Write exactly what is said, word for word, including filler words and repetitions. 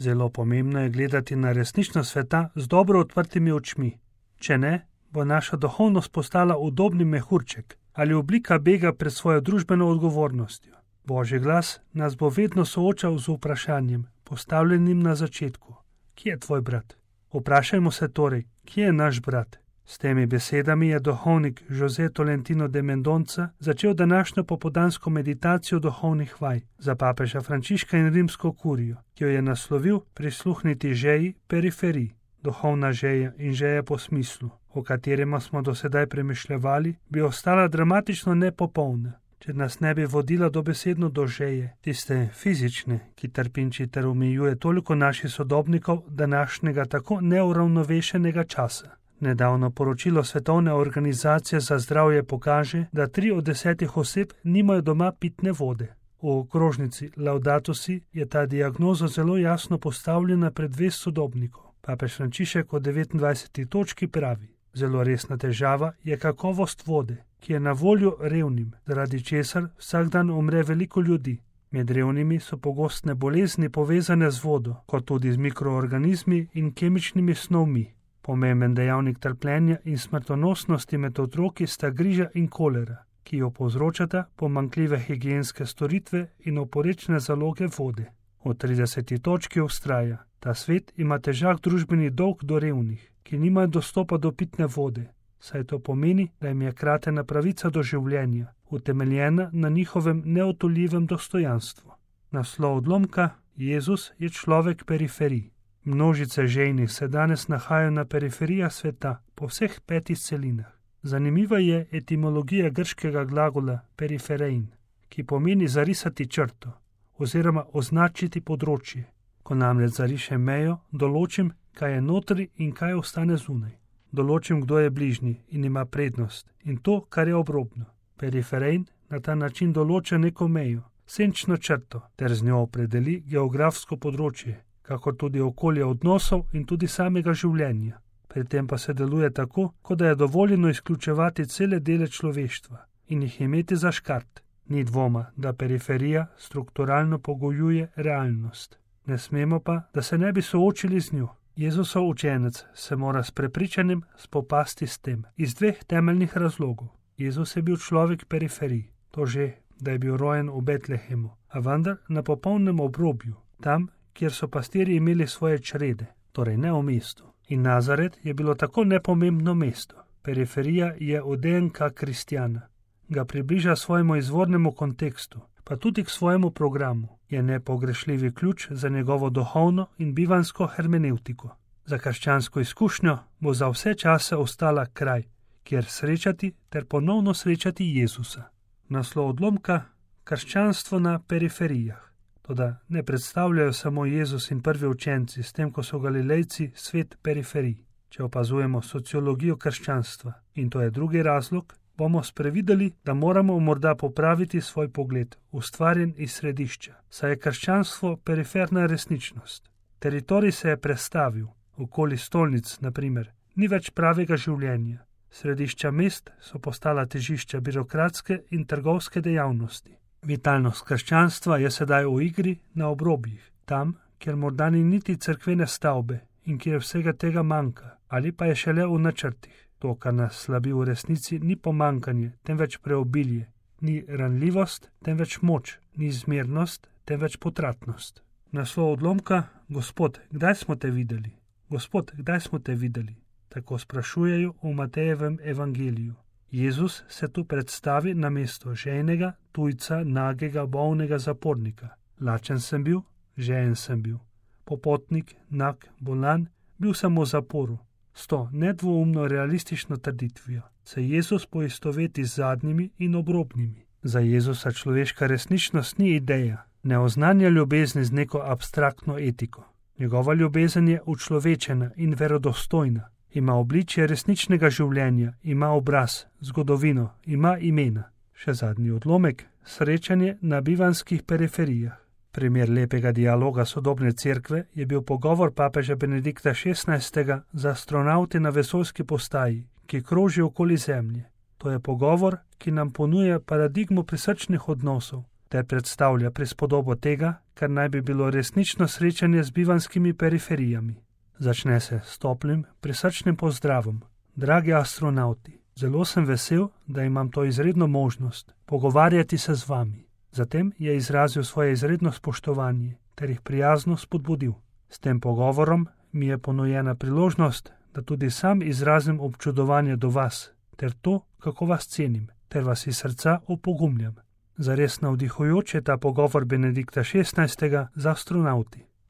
Zelo pomembno je gledati na resničnost sveta z dobro odprtimi očmi. Če ne, bo naša duhovnost postala udobni mehurček ali oblika bega pred svojo družbeno odgovornostjo. Božji glas nas bo vedno soočal z vprašanjem, postavljenim na začetku. Kje je tvoj brat? Vprašajmo se torej, kje je naš brat? S temi besedami je duhovnik José Tolentino de Mendonca začel današnjo popoldansko meditacijo duhovnih vaj za papeža Frančiška in rimsko kurijo, ki jo je naslovil Prisluhniti žeji periferiji. Duhovna žeja in žeja po smislu, o katerem smo do sedaj premišljevali, bi ostala dramatično nepopolna, če nas ne bi vodila dobesedno do žeje, tiste fizične, ki trpinči ter omejuje toliko naših sodobnikov današnjega tako neuravnovešenega časa. Nedavno poročilo Svetovne organizacije za zdravje pokaže, da tri od desetih oseb nimajo doma pitne vode. V okrožnici Laudato Si je ta diagnoza zelo jasno postavljena pred vest sodobnikov. Papež Frančišek v devetindvajseti točki pravi: zelo resna težava je kakovost vode, ki je na voljo revnim, zaradi česar vsak dan umre veliko ljudi. Med revnimi so pogostne bolezni povezane z vodo, kot tudi z mikroorganizmi in kemičnimi snovmi. Pomemben dejavnik trpljenja in smrtonosnosti med otroki sta griža in kolera, ki jo povzročata pomanjkljive higienske storitve in oporečne zaloge vode. V trideseti točki vztraja: ta svet ima težak družbeni dolg do revnih, ki nimajo dostopa do pitne vode, saj to pomeni, da jim je kratena pravica do življenja, utemeljena na njihovem neotoljivem dostojanstvu. Naslov odlomka: Jezus je človek periferij. Množice žejnih se danes nahajajo na periferijah sveta, po vseh petih celinah. Zanimiva je etimologija grškega glagola periferein, ki pomeni zarisati črto oziroma označiti področje. Ko namreč zarišem mejo, določim, kaj je notri in kaj ostane zunaj. Določim, kdo je bližnji in ima prednost in to, kar je obrobno. Periferein na ta način določa neko mejo, senčno črto, ter z njo opredeli geografsko področje, kakor tudi okolje odnosov in tudi samega življenja. Pri tem pa se deluje tako, kot da je dovoljeno izključevati cele dele človeštva in jih imeti za škart. Ni dvoma, da periferija strukturalno pogojuje realnost. Ne smemo pa, da se ne bi soočili z njo. Jezusov učenec se mora s prepričanjem spopasti s tem, iz dveh temeljnih razlogov. Jezus je bil človek periferij, to že, da je bil rojen v Betlehemu, a vendar na popolnem obrobju, tam, kjer so pastirji imeli svoje črede, torej ne v mestu. In Nazaret je bilo tako nepomembno mesto. Periferija je od D N K kristjana. Ga približa svojemu izvornemu kontekstu, pa tudi k svojemu programu. Je nepogrešljivi ključ za njegovo duhovno in bivansko hermenevtiko. Za krščansko izkušnjo bo za vse čase ostala kraj, kjer srečati ter ponovno srečati Jezusa. Naslov odlomka: Krščanstvo na periferijah. Toda ne predstavljajo samo Jezus in prvi učenci, s tem, ko so Galilejci svet periferij. Če opazujemo sociologijo krščanstva, in to je drugi razlog, bomo sprevideli, da moramo morda popraviti svoj pogled, ustvarjen iz središča, saj je krščanstvo periferna resničnost. Teritorij se je prestavil, okoli stolnic, na primer, ni več pravega življenja. Središča mest so postala težišča birokratske in trgovske dejavnosti. Vitalnost krščanstva je sedaj v igri na obrobjih, tam, kjer morda ni niti cerkvene stavbe in kjer vsega tega manjka, ali pa je šele v načrtih. To, kar nas slabi v resnici, ni pomankanje, temveč preobilje, ni ranljivost, temveč moč, ni zmernost, temveč potratnost. Naslov odlomka: Gospod, kdaj smo te videli? Gospod, kdaj smo te videli? Tako sprašujejo v Matejevem evangeliju. Jezus se tu predstavi na mesto žejnega, tujca, nagega, bolnega zapornika. Lačen sem bil, žejen sem bil. Popotnik, nag, bolan, bil sem v zaporu. S to nedvoumno realistično trditvijo se Jezus poistoveti z zadnjimi in obrobnimi. Za Jezusa človeška resničnost ni ideja, ne oznanja ljubezni z neko abstraktno etiko. Njegova ljubezen je učlovečena in verodostojna. Ima obličje resničnega življenja, ima obraz, zgodovino, ima imena. Še zadnji odlomek: srečanje na bivanskih periferijah. Primer lepega dialoga sodobne cerkve je bil pogovor papeža Benedikta šestnajstega z astronavti na vesoljski postaji, ki kroži okoli Zemlje. To je pogovor, ki nam ponuja paradigmo prisrčnih odnosov, ter predstavlja prispodobo tega, kar naj bi bilo resnično srečanje z bivanskimi periferijami. Začne se s toplim, prisrčnim pozdravom. Dragi astronauti, zelo sem vesel, da imam to izredno možnost pogovarjati se z vami. Zatem je izrazil svoje izredno spoštovanje ter jih prijazno spodbudil. S tem pogovorom mi je ponujena priložnost, da tudi sam izrazim občudovanje do vas, ter to, kako vas cenim, ter vas iz srca opogumljam. Zares navdihujoč je ta pogovor Benedikta šestnajstega z astronauti.